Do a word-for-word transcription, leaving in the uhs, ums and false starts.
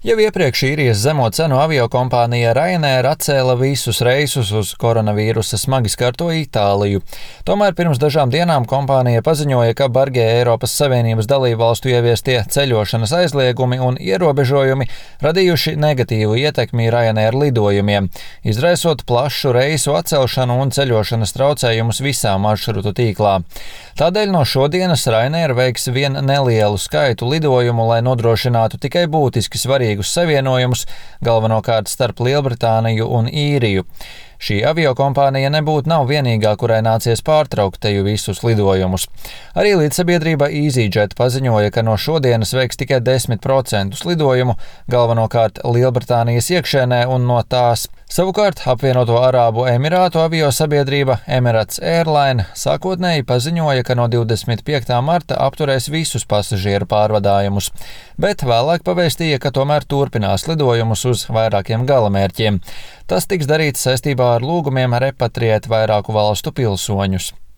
Jau iepriekš īrijas zemo cenu aviokompānija Ryanair atcēla visus reisus uz koronavīrusa smagi skarto Itāliju. Tomēr pirms dažām dienām kompānija paziņoja, ka bargie Eiropas Savienības dalībvalstu ieviestie ceļošanas aizliegumi un ierobežojumi radījuši negatīvu ietekmi Ryanair lidojumiem, izraisot plašu reisu atcelšanu un ceļošanas traucējumus visā maršrutu tīklā. Tādēļ no šodienas Ryanair veiks vien nelielu skaitu lidojumu, lai nodrošinātu tikai būtiski svarīgi savienojumus, galvenokārt starp Lielbritāniju un Īriju. Šī aviokompānija nebūtu nav vienīgā, kurai nācies pārtraukt teju visus lidojumus. Arī līdzsabiedrība EasyJet paziņoja, ka no šodienas veiks tikai desmit procentus lidojumu, galvenokārt Lielbritānijas iekšēnē un no tās. Savukārt apvienoto Arābu Emirātu aviosabiedrība Emirates Airline sākotnēji paziņoja, ka no divdesmit piektā marta apturēs visus pasažieru pārvadājumus, bet vēlāk pavēstīja, ka tomēr turpinās lidojumus uz vairākiem galamērķiem. Tas tiks darīts saistībā ar lūgumiem repatriēt vairāku valstu pilsoņus.